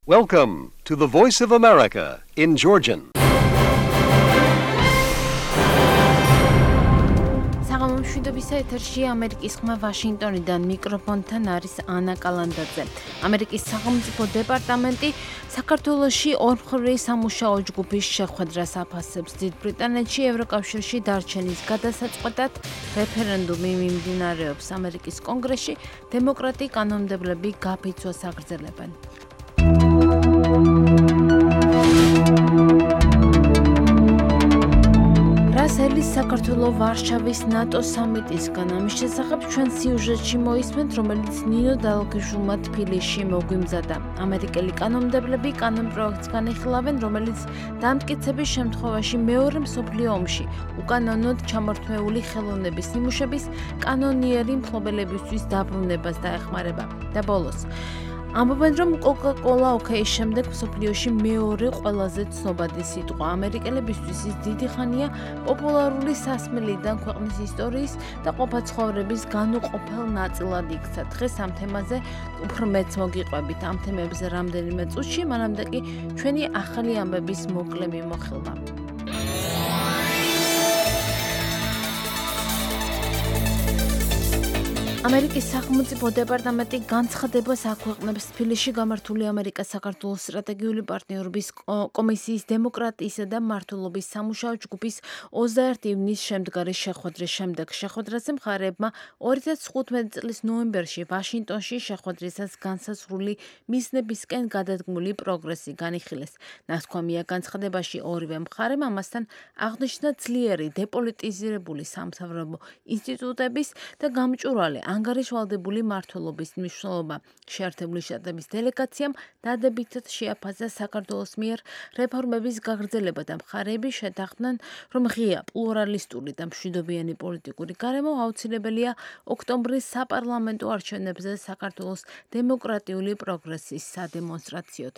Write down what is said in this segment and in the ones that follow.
Welcome to the Voice of America in Georgian. საღამომშვიდობის ეთერში ამერიკის ხმა ვაშინგტონიდან მიკროფონთან არის ანა კალანდაძე. ამერიკის სახელმწიფო დეპარტამენტი საქართველოში ორმხრივი სამუშაო ჯგუფის შეხვედრას აფასებს. დიდ ბრიტანეთში ევროკავშირში დარჩენის გადასაწყვეტად რეფერენდუმი მიმდინარეობს. ამერიკის კონგრესში დემოკრატი კანონმდებლები გაფიცვას აგრძელებენ. რასელის საქართველოს ვარშავის ნატო სამიტისგან ამის შესახებ ჩვენ სიუჟეტში მოისმენთ, რომელიც ნინო დალოქიშვილმა თბილისში მოგვიმზადა. ამერიკელი კანონმდებლები კანონპროექტს განიხილავენ, რომელიც დამტკიცების შემთხვევაში მეორე მსოფლიო ომში უკანონოდ ჩამორთმეული ხელოვნების ნიმუშების კანონიერი მფლობელებისთვის დაბრუნებას დაეხმარება. და ბოლოს ამბობენ, რომ კოკა-კოლა ოკეის შემდეგ მსოფლიოში მეორე ყველაზე ცნობადი სიტყვა. ამერიკელებისთვის ის დიდი ხანია პოპულარული სასმელიდან ქვეყნის ისტორიის და ყოფა-ცხოვრების განუყოფელ ნაწილად იქცა. დღეს ამ თემაზე უფრო მეც მოგიყვებით. ამ თემებზე რამდენიმე წუთში, მანამდე კი ჩვენი ახალი ამბების მოკლე მიმოხილვა. ამერიკის სახელმწიფო დეპარტამენტი განცხადებას აქვეყნებს თბილისში გამართული ამერიკა-საქართველოს სტრატეგიული პარტნიორობის კომისიის დემოკრატიისა და მმართველობის სამუშაო ჯგუფის 21 ივნისს შემდგარი შეხვედრის შემდეგ. შეხვედრაზე მხარეებმა 2015 წლის ნოემბერში ვაშინგტონში შეხვედრისას განსაზღვრული მიზნებისკენ გადადგმული პროგრესი განიხილეს. ნათქვამია განცხადებაში ორივე მხარემ ამასთან აღნიშნა ძლიერი დეპოლიტიზირებული სამთავრობო ინსტიტუტების და გამჭვირვალე ანგარიშვალდებული მმართველობის მნიშვნელობა. შეერთებული შტატების დელეგაციამ დადებითად შეაფასა საქართველოს მიერ რეფორმების გაგრძელება და მხარეები შეთანხმდნენ, რომ ღია, პლურალისტური და მშვიდობიანი პოლიტიკური გარემო აუცილებელია ოქტომბრის საპარლამენტო არჩევნებზე საქართველოს დემოკრატიული პროგრესის სადემონსტრაციოდ.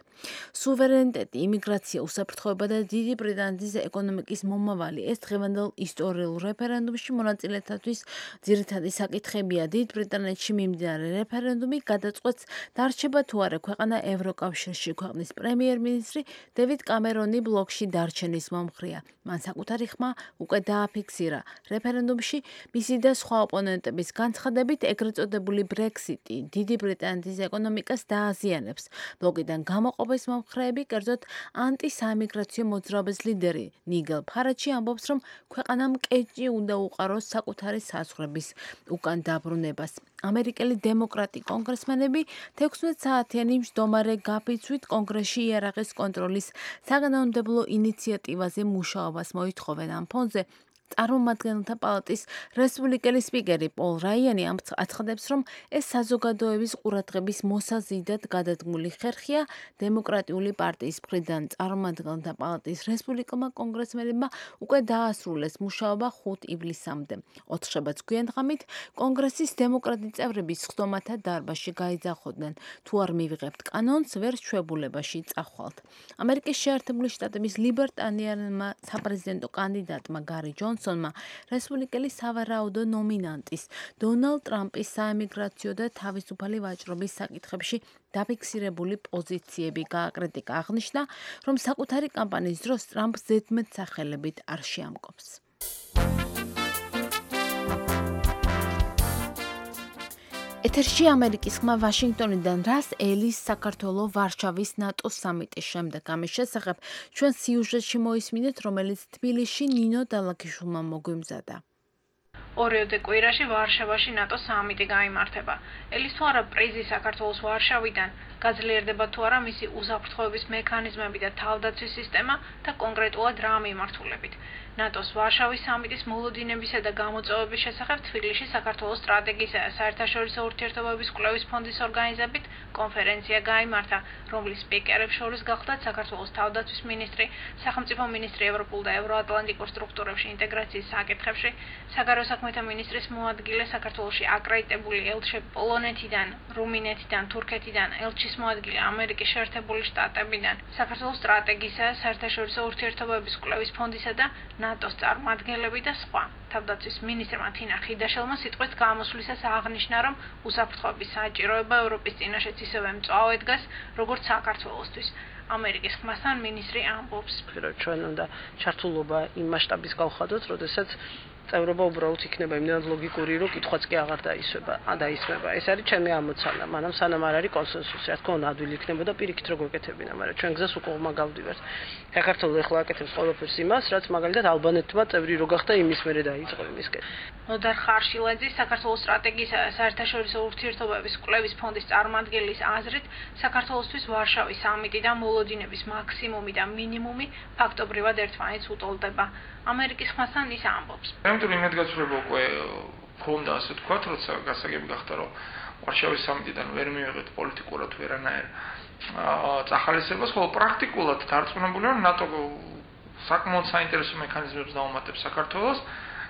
სუვერენიტეტი, იმიგრაცია, უსაფრთხოება და დიდი ბრიტანეთის ეკონომიკის მომავალი ეს დღევანდელ ისტორიულ რეფერენდუმში მონაწილეებისთვის ძირითადი საკითხებია. დიდ ბრიტანეთში მიმდინარე რეფერენდუმი გადაწყვეტს, დარჩება თუ არა ქვეყანა ევროკავშირში. ქვეყნის პრემიერ-მინისტრი დევიდ კამერონი ბლოკში დარჩენის მომხრეა. მან საკუთარი ხმა უკვე დააფიქსირა. რეფერენდუმში მისი და სხვა ოპონენტების განცხადებით ეგრეთ წოდებული ბრექსიტი დიდი ბრიტანეთის ეკონომიკას დააზიანებს. ბლოკიდან გამოყოფის მომხრეები, კერძოდ ანტისაიმიგრაციო მოძრაობის ლიდერი ნიგელ ფარაჯი ამბობს, რომ ქვეყანამ კეჭი უნდა უყაროს საკუთარი საზღვრების უკან დაბრუნებას. ამერიკელი დემოკრატი კონგრესმენები 16 საათიანი მჯდომარე გაფიცვით კონგრესში იარაღის კონტროლის საგანმანათლებლო ინიციატივაზე მუშაობას მოითხოვენ. ამ ფონზე წარმომადგენელთა პალატის რესპუბლიკელი სპიკერი პოლ რაიანი აცხადებს, რომ ეს საზოგადოების ყურადღების მოსაზიდად გადადგმული ხერხია. დემოკრატიული პარტიის მხრიდან წარმომადგენელთა პალატის რესპუბლიკელმა კონგრესმენებმა უკვე დაასრულეს მუშაობა 5 ივლისამდე. ოთხშაბათს გვიანღამით კონგრესის დემოკრატი წევრები სხდომათა დარბაზში გაიძახოდნენ. თუ არ მივიღებთ კანონს, ვერ ჩვეულებაში წახვალთ. ამერიკის შეერთებული შტატების ლიბერტარიანმა საპრეზიდენტო კანდიდატმა გარი ჯონსონმა რესპუბლიკელი სავარაუდო ნომინანტის დონალდ ტრამპის საემიგრაციო და თავისუფალი ვაჭრობის საკითხებში დაფიქსირებული პოზიციები გააკრიტიკა. აღნიშნა, რომ საკუთარი კამპანიის დროს ტრამპს ზედმეტსახელებით არ შეამკობს. ეთერში ამერიკის ხმა ვაშინგტონიდან რას ელის საქართველოს ვარშავის ნატოს სამიტის შემდეგ. ამის შესახებ ჩვენ სიუჟეტში მოისმინეთ, რომელიც თბილისში ნინო დალოქიშვილმა მოგვიმზადა. ორიოდე კვირაში ვარშავაში ნატოს სამიტი გაიმართება. ელის თუ არა პრიზი საქართველოს ვარშავიდან გაძლიერდება თუ არა მისი უსაფრთხოების მექანიზმები და თავდაცვის სისტემა და კონკრეტულად რა მიმართულებით. ნატოს ვარშავის სამიტის მოლოდინებისა და გამოწვევების შესახებ თბილისში საქართველოს სტრატეგიისა და საერთაშორისო ურთიერთობების კვლევის ფონდის ორგანიზებით კონფერენცია გაიმართა, რომლის სპიკერებს შორის გახლდათ საქართველოს თავდაცვის მინისტრი, სახელმწიფო მინისტრი ევროპულ და ევროატლანტიკურ სტრუქტურებში ინტეგრაციის საკითხებში, საგარეო საქმეთა მინისტრის მოადგილე საქართველოში აკრედიტებული ელჩი პოლონეთიდან, რუმინეთიდან, თურქეთიდან, ელჩი მისთვის მოადგილე ამერიკის შეერთებული შტატებიდან საქართველოს სტრატეგიისა, საერთაშორისო ურთიერთობების კვლევის ფონდისა და ნატოს წარმომადგენლები და სხვა. თავდაცვის მინისტრმა თინა ხიდაშელმა სიტყვით გამოსვლისას აღნიშნა, რომ უსაფრთხოების საჭიროება ევროპის წინაშეც ისევე მწვავედ დგას, როგორც საქართველოსთვის. ამერიკის ხმასთან მინისტრი ამბობს. ჩვენ უნდა ჩართულობა იმ მასშტაბის გავხადოთ, როდესაც წევრობა უბრალოდ იქნება იმდენად ლოგიკური, რომ კითხვაც კი აღარ დაისმება. ეს არის ჩემი ამოცანა, მაგრამ სანამ არ არის კონსენსუსი, რა თქმა უნდა, ადვილი იქნებოდა პირიქით რო გვეკეთებინა, მაგრამ ჩვენ გზას უკვე გავდივართ. საქართველოს ეხლა აკეთებს ყველაფერს იმას, რაც მაგალითად ალბანეთმა წევრი რო გახდა იმის მერე დაიწყო იმისკენ. ნოდარ ხარშილაძე საქართველოს სტრატეგიისა და საერთაშორისო ურთიერთობების კვლევის ფონდის წარმომადგენლის აზრით, საქართველოსთვის ვარშავის სამიტი და მოლოდინების მაქსიმუმი და მინიმუმი ფაქტობრივად ერთმანეთს უტოლდება. ამერიკის ხმასთან ის ამბობს. ამიტომ იმედგაცრუება უკვე ქონდა, ასე ვთქვათ, როცა გასაგები გახდა, რომ ვარშავის სამიტიდან ვერ მივიღეთ პოლიტიკურად ვერანაირ წახალისებას, ხოლო პრაქტიკულად დარწმუნებულია, რომ ნატო საკმაოდ საინტერესო მექანიზმებს დაუმატებს საქართველოს,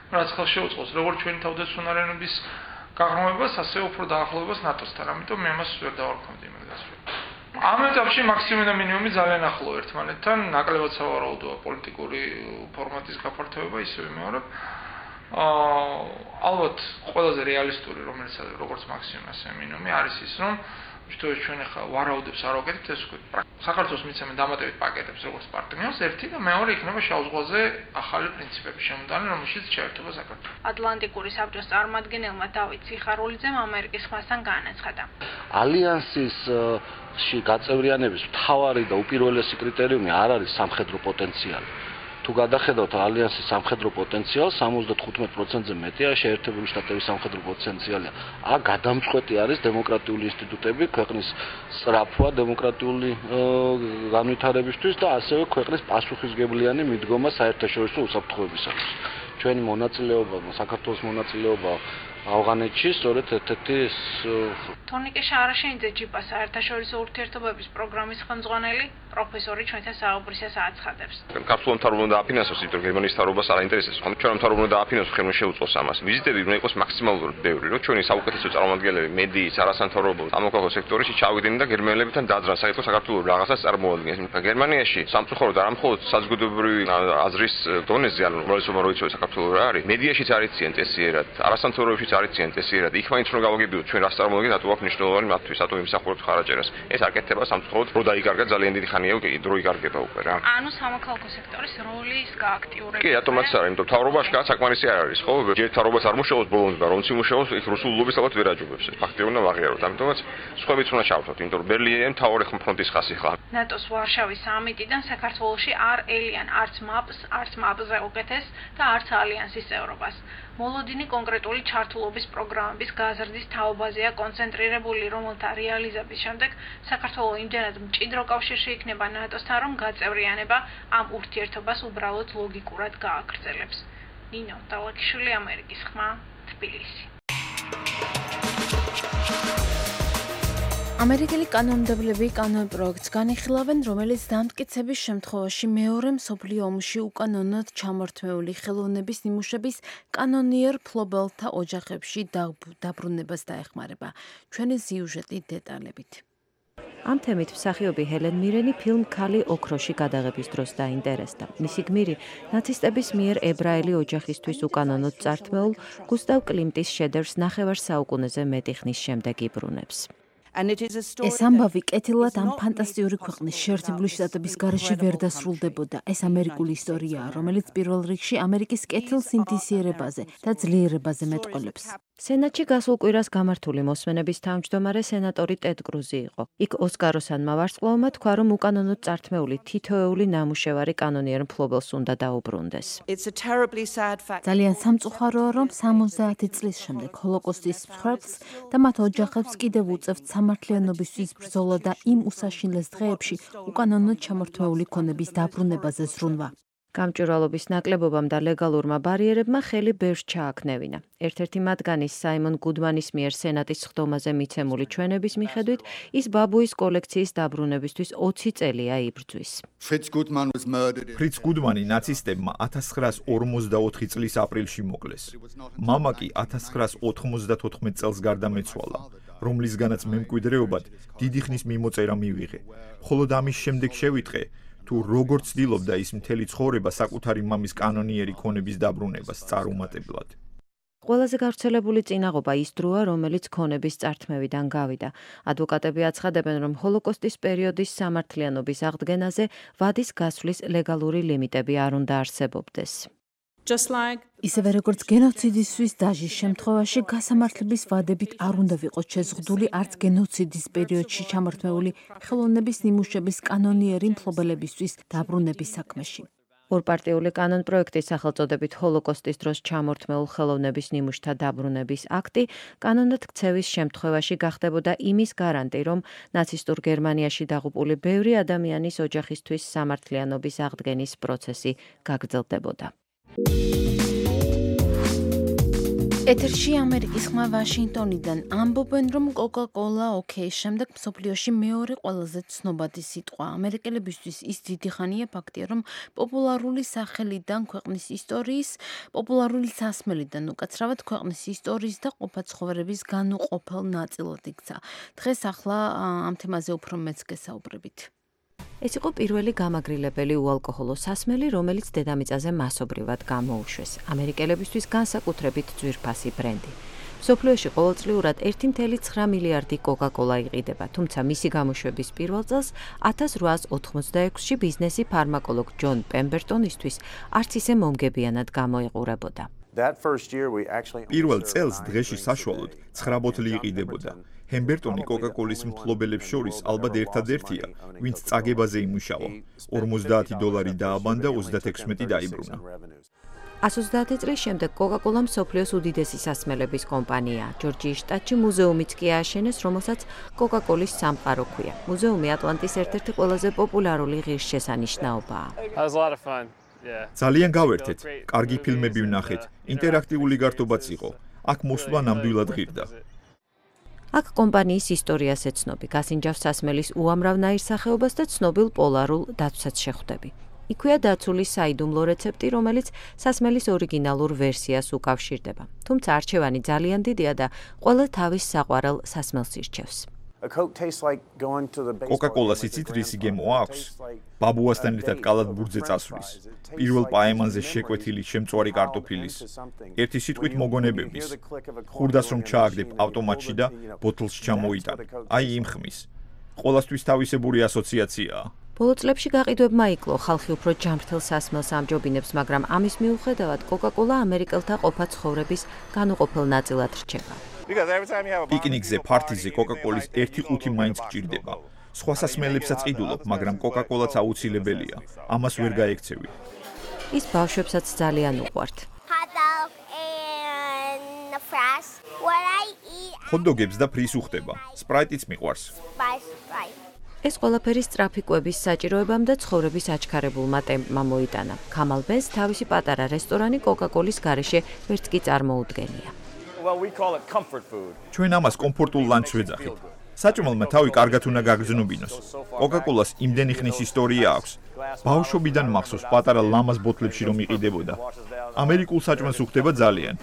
რაც ხელს შეუწყობს როგორც ჩვენი თავდაცვიანობის გაღრმავებას, ასე უფრო დაახლოებას ნატოსთან. ამიტომ მე ამას ვერ დავარქვამდი იმედგაცრუება. ამ ეტაპში მაქსიმუმი და მინიმუმი ძალიან ახლო ერთმანეთთან, ნაკლებად სავარაუდოა პოლიტიკური ფორმატის გაფართოება, ისევე მეორე. ალბათ ყველაზე რეალისტური, როგორც მაქსიმუმი, ასე მინიმუმი არის ის, რომ ვთქვით ჩვენ ახლა ვარაუდებს არ ვაკეთებთ, ეს ვთქვით. საქართველოს მიცემენ დამატებით პაკეტებს როგორც პარტნიორს, ერთი და მეორე იქნება შავ ზღვაზე ახალი პრინციპების შემოტანა, რომელშიც შეერთება საქართველო. ატლანტიკური საბჭოს წარმომადგენელმა დავით სიხარულიძემ ამერიკის ხმასთან განაცხადა. ალიანსის გაწევრიანების მთავარი და უპირველესი კრიტერიუმი არ არის სამხედრო პოტენციალი. თუ გადახედავთ ალიანსის სამხედრო პოტენციალს, 75%-ზე მეტია შეერთებული შტატების სამხედრო პოტენციალი. გადამწყვეტი არის დემოკრატიული ინსტიტუტები, ქვეყნის სწრაფვა დემოკრატიული განვითარებისთვის და ასევე ქვეყნის პასუხისმგებლიანი მიდგომა საერთაშორისო უსაფრთხოებისათვის. ჩვენი მონაწილეობა, საქართველოს მონაწილეობა ავღანეთში სწორედ ერთ-ერთი თორნიკე შარაშენიძე ჯიპა საერთაშორისო ურთიერთობების პროგრამის ხელმძღვანელი პროფესორი ჩვენთან საუბრისას აცხადებს. კაფსულა მთავრობა უნდა აფინანსოს, იმიტომ რომ გერმანიის მთავრობას არ აინტერესებს. ხომ ჩვენ მთავრობა უნდა აფინანსოს, ხელმე შეუწყოს ამას. ვიზიტები უნდა იყოს მაქსიმალურად ბევრი, რომ ჩვენი საუკეთესო წარმომადგენლები, მედიის, არასამთავრობო, სამოქალაქო სექტორში ჩავიდნენ და გერმანელებთან დაძრან საერთო საქართველოს რაღაცას წარმოადგენს. გერმანიაში სამწუხაროდ არა მხოლოდ საზოგადოებრივი აზრის დონეზე, ანუ მრავალწლოვანი როიცოა საქართველოს რა არის. მედიაში არიციან წესიერად, არასამთავრობოებში არიციან წესიერად. იქ მაინც რომ გავაგებინოთ ჩვენ რას წარმოადგენს, რატო აქვს მნიშვნელოვანი მათთვის, რატო იმსახურებს ხარაჯერას. ეს არ კეთდება სამწუხაროდ, რო დაიკარგა ძალიან დიდი ხანია უკვე, დრო იკარგება უკვე რა. ანუ სამოქალაქო სექტორის როლის გააქტიურება. კი, რატომაც არა, იმიტომ მთავრობაში კაც საკმარისი არ არის, ხო? ჯერ მთავრობას არ მუშაობს ბოლომდე და რომც იმუშაობს, იქ რუსულ ლობის ალბათ ვერ აჯობებს. ფაქტია უნდა ვაღიაროთ. ამიტომაც სხვაებიც უნდა ჩავთოთ, იმიტომ რომ ბერლინი მთავარი ფრონტის ხაზი ხლა. ნატოს ვარშავის სამიტიდან საქართველოში არ ელიან არც მაპზე უკეთეს და არც ალიანსის წევრობას. მოლოდინი კონკრეტული ჩართულობის პროგრამების გაზრდის თაობაზეა კონცენტრირებული, რომელთა რეალიზების შემდეგ საქართველო იმდენად მჭიდრო კავშირში იქნება ნატოსთან, რომ გაწევრიანება ამ ურთიერთობას უბრალოდ ლოგიკურად გააგრძელებს. ნინო დალაკიშვილი, ამერიკის ხმა, თბილისი. ამერიკელი კანონმდებლები კანონპროექტს განიხილავენ, რომელიც დამტკიცების შემთხვევაში მეორე მსოფლიო ომში უკანონოდ ჩამორთმეული ხელოვნების ნიმუშების კანონიერ მფლობელთა ოჯახებში დაბრუნებას დაეხმარება. ჩვენი სიუჟეტი დეტალებით. ამ თემით მსახიობი ჰელენ მირენი ფილმ „ქალი ოქროში“ გადაღების დროს დაინტერესდა. მისი გმირი ნაცისტების მიერ ებრაელი ოჯახისთვის უკანონოდ წართმეულ გუსტავ კლიმტის შედევრს ნახევარ საუკუნეზე მეტი ხნის შემდეგ იბრუნებს. ეს ამბავი კეთილად ამ ფანტასტიკური ქვეყნის შეერთებული შტატების გარეშე ვერ დასრულდებოდა. ეს ამერიკული ისტორიაა, რომელიც პირველ რიგში ამერიკის კეთილ სინთეზიერებაზე და ძლიერებაზე მეტყველებს. სენატში გასულ კვირას გამართული მოსმენების თავმჯდომარე სენატორი ტედ კრუზი იყო. იქ ოსკაროსანმა ვარსკვლავმა თქვა, რომ უკანონოდ წართმეული თითოეული ნამუშევარი კანონიერ მფლობელს უნდა დაუბრუნდეს. ძალიან სამწუხაროა, რომ 70 წლის შემდეგ ჰოლოკოსტის მსხვერპლს და მათ ოჯახებს კიდევ უწევთ სამართლიანობისთვის ბრძოლა და იმ უსაშინლეს დღეებში უკანონოდ ჩამორთმეული ქონების დაბრუნებაზე ზრუნვა. გამჭვირვალობის ნაკლებობამ და ლეგალურმა ბარიერებმა ხელი ბევრს ჩააქნევინა. ერთ-ერთი მათგანის საიმონ გუდმანის მიერ სენატის სხდომაზე მიცემული ჩვენების მიხედვით, ის ბაბუის კოლექციის დაბრუნებისთვის 20 წელია იბრძვის. ფრიც გუდმანი ნაცისტებმა 1944 წლის აპრილში მოკლეს. მამა კი 1994 წელს გარდამეცვალა. რომლისგანაც მემკვიდრეობად დიდი ხნის მიმოწერა მივიღე. მხოლოდ ამის შემდეგ შევიტყე, თუ როგორ ცდილობდა ის მთელი ცხოვრება საკუთარი მამის კანონიერი ქონების დაბრუნებას წარუმატებლად. ყველაზე გავრცელებული წინაღობა ის დროა, რომელიც ქონების წართმევიდან გავიდა. ადვოკატები აცხადებენ, რომ ჰოლოკოსტის პერიოდის სამართლიანობის აღდგენაზე ვადის გასვლის ლეგალური ლიმიტები არ უნდა არსებობდეს. ისევე როგორც გენოციდისთვის დაჟის შემთხვევაში გასამართლების ვადებით არ უნდა ვიყოს შეზღუდული არც გენოციდის პერიოდში ჩამორთმეული ხელოვნების ნიმუშების კანონიერი მფლობელებისთვის დაბრუნების საქმეში. ორპარტიული კანონპროექტის სახელწოდებით ჰოლოკოსტის დროს ჩამორთმეულ ხელოვნების ნიმუშთა დაბრუნების აქტი კანონად ქცევის შემთხვევაში გახდებოდა იმის გარანტი, რომ ნაცისტურ გერმანიაში დაღუპული ბევრი ადამიანის ოჯახისთვის სამართლიანობის აღდგენის პროცესი გაგრძელდებოდა. ეთერში ამერიკის ხმა ვაშინგტონიდან ამბობენ, რომ კოკა-კოლა ოკეის შემდეგ მსოფლიოში მეორე ყველაზე ცნობადი სიტყვა. ამერიკელებისთვის ის დიდი ხანია ფაქტია, რომ პოპულარული სახელიდან ქვეყნის ისტორიის, პოპულარული სასმელიდან უკაცრავად ქვეყნის ისტორიის და ყოფა ცხოვრების განუყოფელ ნაწილად იქცა. დღეს ახლა ამ თემაზე უფრო მეც გესაუბრებით. ეს იყო პირველი გამაგრილებელი უალკოჰოლო სასმელი, რომელიც დედამიწაზე მასობრივად გამოუშვეს. ამერიკელებისთვის განსაკუთრებით ძვირფასი ბრენდი. მსოფლიოში ყოველწლიურად 1.9 მილიარდი კოკა-კოლა იყიდება, თუმცა მისი გამოშვების პირველ წელს 1886-ში ბიზნესი ფარმაკოლოგ ჯონ პემბერტონისთვის არც ისე მომგებიანად გამოიყურებოდა. პირველ წელს დღეში საშუალოდ 9 ბოთლი იყიდებოდა. ჰემბერტონი კოკა-კოლის მფლობელებს შორის ალბათ ერთადერთია, ვინც წაგებაზე იმუშავა. $50 დააბანდა, 36 დაიბრუნა. 130 წლის შემდეგ კოკა-კოლა მსოფლიოს უდიდესი სასმელების კომპანიაა. ჯორჯიის შტატში მუზეუმიც კი ააშენეს, რომელსაც კოკა-კოლის სამყარო ჰქვია. მუზეუმი ატლანტის ერთ-ერთი ყველაზე პოპულარული ღირსშესანიშნაობაა. ძალიან გავერთეთ, კარგი ფილმები ვნახეთ, ინტერაქტიული გართობაც იყო. აქ მოსვლა ნამდვილად ღირდა. აქ კომპანიის ისტორიას ეცნობი, გასინჯავს სასმელის უამრავნაირ სახეობას და ცნობილ პოლარულ დათვსაც შეხვდები. იქვეა დაცული საიდუმლო რეცეპტი, რომელიც სასმელის ორიგინალურ ვერსიას უკავშირდება. თუმცა არჩევანი ძალიან დიდია და ყველა თავის საყვარელ სასმელს ირჩევს. კოკა-კოლას იცით რისი გემო აქვს? ბაბუასთან ერთად კალათბურთზე წასვლის. პირველ პაემანზე შეკვეთილი შემწვარი კარტოფილის. ერთი სიტყვით მოგონებების. ხურდას რომ ჩააგდებ ავტომატში და ბოთლს ჩამოიტან. აი იმ ხმის. ყოველთვის თავისებური ასოციაციაა. ბოლო წლებში გაყიდვებმა იკლო, ხალხი უფრო ჯანმრთელ სასმელს ამჯობინებს, მაგრამ ამის მიუხედავად კოკა-კოლა ამერიკელთა ყოფა ცხოვრების განუყოფელ ნაწილად რჩება. პიკნიკზე, ფართიზე კოკა-კოლის 1/5 მაინც გჭირდება. სხვა სასმელებსაც ყიდულობ, მაგრამ კოკა-კოლაც აუცილებელია. ამას ვერ გაექცევი. ის ბავშვებსაც ძალიან უყვართ. ჰოთ-დოგებს და ფრის უხდება. სპრაიტიც მიყვარს. ეს ყველაფერი სწრაფი კვების საჭიროებამ და ცხოვრების აჩქარებულმა ტემპმა მოიტანა. ქამალ ბენს თავისი პატარა რესტორანი კოკა-კოლის გარეშე ვერც კი წარმოუდგენია. ჩვენ ამას კომფორტულ ლანჩს ვეძახით. საჭმელმა თავი კარგად უნდა გაგრძნობინოს. კოკა-კოლას იმდენი ხნის ისტორია აქვს. ბავშვობიდან მახსოვს პატარა ლამაზ ბოთლებში რომ იყიდებოდა. ამერიკულ საჭმელს უხდება ძალიან.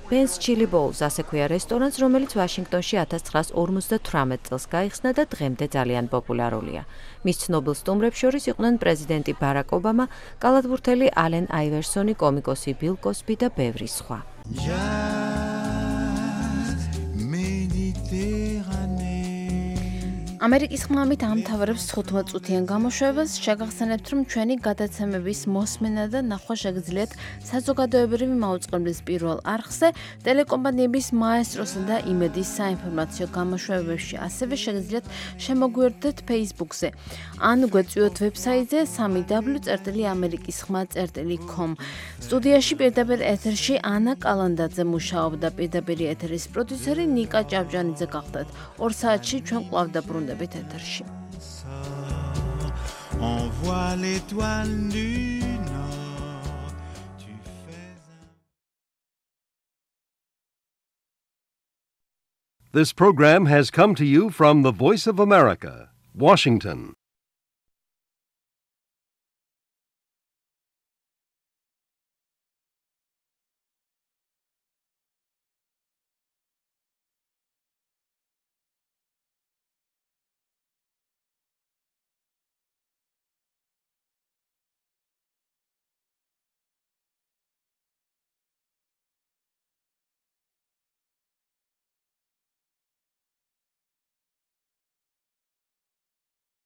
ბენს ჩილი ბოულს ასე ქვია რესტორანს, რომელიც ვაშინგტონში 1958 წელს გაიხსნა და დღემდე ძალიან პოპულარულია. მის ცნობილ სტუმრებს შორის იყვნენ პრეზიდენტი ბარაკ ობამა, კალათბურთელი ალენ აივერსონი, კომიკოსი ბილ კოსბი და ბევრი სხვა. ამერიკის ხმამით ამთავრებს 15 წუთიან გამოშვებას. შეგახსენებთ, რომ ჩვენი გადაცემების მოსმენა და ნახვა შეგიძლიათ საზოგადოებრივი მაუწყებლის პირველ არხზე, ტელეკომპანიების მაესტროსა და იმედის საინფორმაციო გამოშვებებში. ასევე შეგიძლიათ შემოგვიერთდეთ Facebook-ზე. ან გვეწვიოთ ვებსაიტზე www.amerikisxma.com. სტუდიაში პირდაპირ ეთერში ანა კალანდაძე მუშაობდა, პირდაპირ ეთერის პროდიუსერი ნიკა ჭავჭანიძე გახდათ. 2 საათში ჩვენ კვლავ დაბრუნდებით ეთერში. This program has come to you from the Voice of America, Washington.